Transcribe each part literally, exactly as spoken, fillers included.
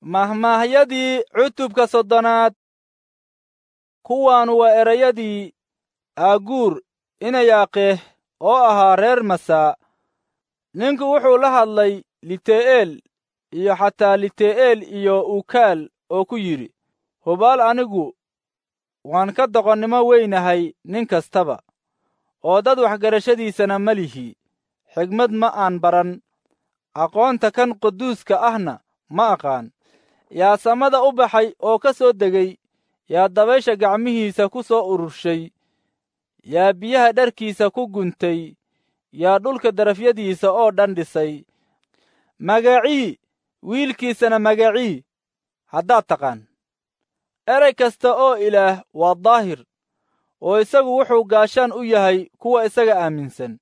Mahmaahyadii cutubka soddonaad. Kuwaanu waa erayadii Aaguur Inayaaqeeh oo ahaa reer Masaa. Ninku wuxuu la hadlay Lite'eel iyo xataa Lite'eel iyo Ukaal oo ku yidhi, hubaal anigu waan ka doqonnimo weynahay nin kastaba, oo dad waxgarashadiisana ma lihi. Xigmad ma aan baran, aqoonta kan quduuska ahna ma aqaan. Yaa samada u baxay oo ka soo degay? Yaa dabaysha gacmihiisa ku soo ururshay? Yaa biyaha dharkiisa ku guntay? Yaa dhulka darafyadiisa oo dhan dhisay? Magacii wiilkiisana magacii haddaad taqaan. Erey kasta oo Ilaah waa daahir, oo isagu wuxuu gaashaan u yahay kuwa isaga aaminsan.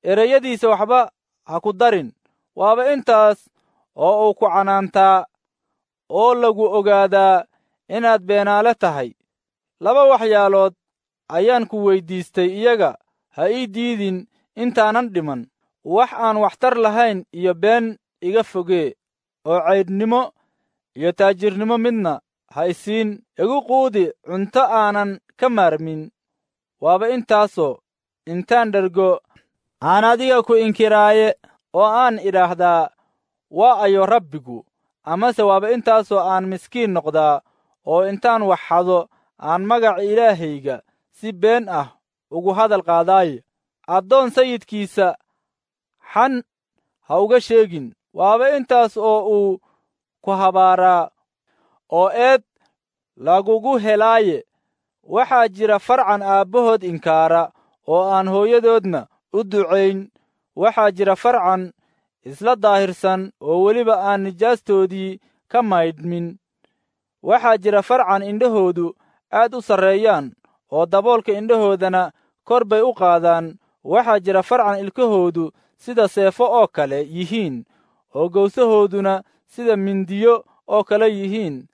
Ereyadiisa waxba ha ku darin, waaba intaas oo uu ku canaantaa oo lagu ogaadaa inaad beenaale tahay. Laba waxyaalood ayaan ku weyddiistay, iyaga ha ii diidin intaanan dhiman. Wax aan waxtar lahayn iyo been iga fogee, oo caydhnimo iyo taajirnimo midna ha isiin. Igu quudi cunto aanan ka maarmin, waaba intaasoo intaan dhergo aan adiga ku inkiraaye oo aan idhaahdaa, waa ayo Rabbigu? Amase waaba intaasoo aan miskiin noqdaa oo intaan wax xado aan magaca Ilaahayga si been ah ugu hadal qaadaaye. Addoon sayidkiisa xan ha uga sheegin, waaba intaas oo uu ku habaaraa oo eed lagugu helaaye. Waxaa jira farcan aabbahood inkaara oo aan hooyadoodna u ducayn. Waxaa jira farcan isla daahirsan oo weliba aan nijaastoodii ka maydhmin. Waxaa jira farcan indhahoodu aad u sarreeyaan oo daboolka indhahoodana kor bay u qaadaan. Waxaa jira farcan ilkahoodu sida seefo oo kale yihiin oo gowsahooduna sida mindiyo oo kale yihiin,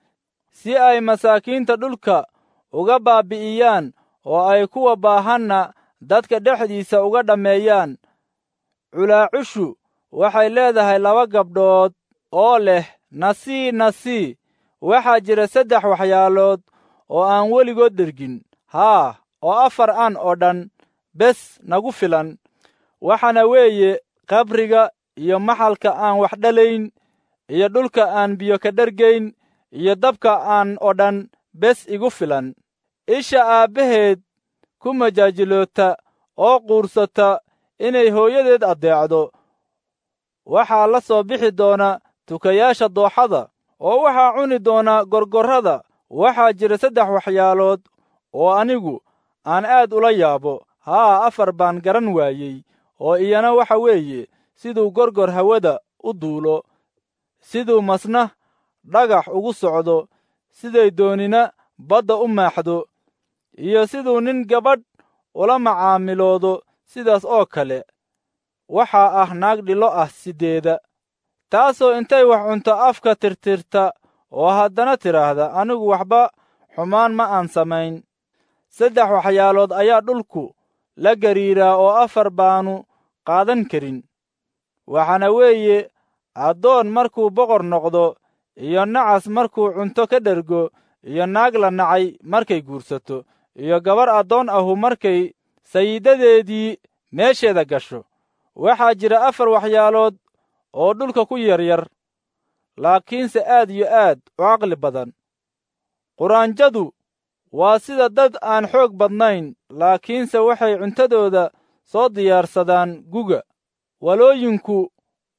si ay masaakiinta dhulka uga baabbi'iyaan oo ay kuwa baahanna dadka dhexdiisa uga dhammeeyaan. Culaacushu waxay leedahay laba gabdhood oo leh nasii nasii. Waxaa jira saddex waxyaalood oo aan weligood dhergin, haa, oo afar aan oo dhan bes nagu filan. Waxaana weeye qabriga iyo maxalka aan wax dhalayn iyo dhulka aan biyo ka dhergayn iyo dabka aan oo dhan bes igu filan. Isha aabbaheed ku majaajiloota oo quursata inay hooyadeed addeecdo, waxaa la soo bixi doona tukayaasha dooxada, oo waxaa cuni doona gorgorrada. Waxaa jira saddex waxyaalood oo anigu aan aad ula yaabo, haa, afar baan garan waayey, oo iyana waxa weeye siduu gorgor hawada u duulo, siduu masna dhagax ugu socdo, siday doonina badda u maaxdo, iyo siduu nin gabadh ula macaamiloodo. Sidaas oo kale waxaa ah naag dhilo ah siddeeda, taasoo intay wax cunto afka tirtirta oo haddana tidhaahda, anigu waxba xumaan ma aan samayn. Saddex waxyaalood ayaa dhulku la gariiraa oo afar baanu qaadan karin. Waxaana weeye addoon markuu boqor noqdo, iyo nacas markuu cunto ka dhergo, iyo naag la nacay markay guursato, iyo gabar addoon ahu markay sayidadeedii meesheeda gasho. Waxaa jira afar waxyaalood oo dhulka ku yaryar, laakiinse aad iyo aad u caqli badan. Quraanjadu waa sida dad aan xoog badnayn, laakiinse waxay cuntadooda soo diyaarsadaan guga. Walooyinku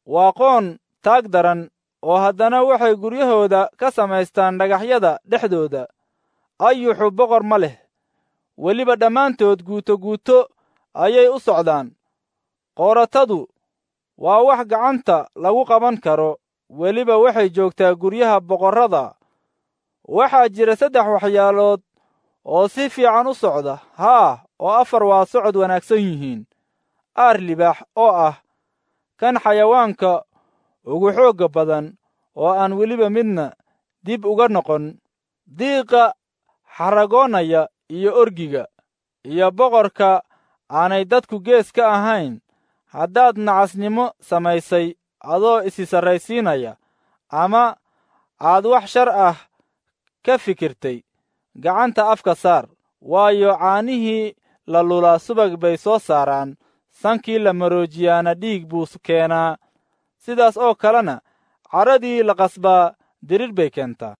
waa qoon taag daran, oo haddana waxay guryahooda ka samaystaan dhagaxyada dhexdooda. Ayuxu boqor ma leh, weliba dhammaantood guuto guuto ayay u socdaan. Qooratadu waa wax gacanta lagu qaban karo, weliba waxay joogtaa guryaha boqorrada. Waxaa jira saddex waxyaalood oo si fiican u socda, haa, oo afar waa socod wanaagsan yihiin: aar libaax oo ah kan xayawaanka ugu xoogga badan oo aan weliba midna dib uga noqon, diiqa xaragoonaya iyo orgiga, iyo boqorka aanay dadku gees ka ahayn. Haddaad nacasnimo samaysay adoo isi sarraysiinaya, ama aad wax shar ah ka fikirtay, gacanta afka saar, waayo, caanihii la lulaa subag bay soo saaraan, sankii la maroojiyaana dhiig buu keenaa. Sidaas oo kalena cadhadii la qasbaa dirir bay keentaa.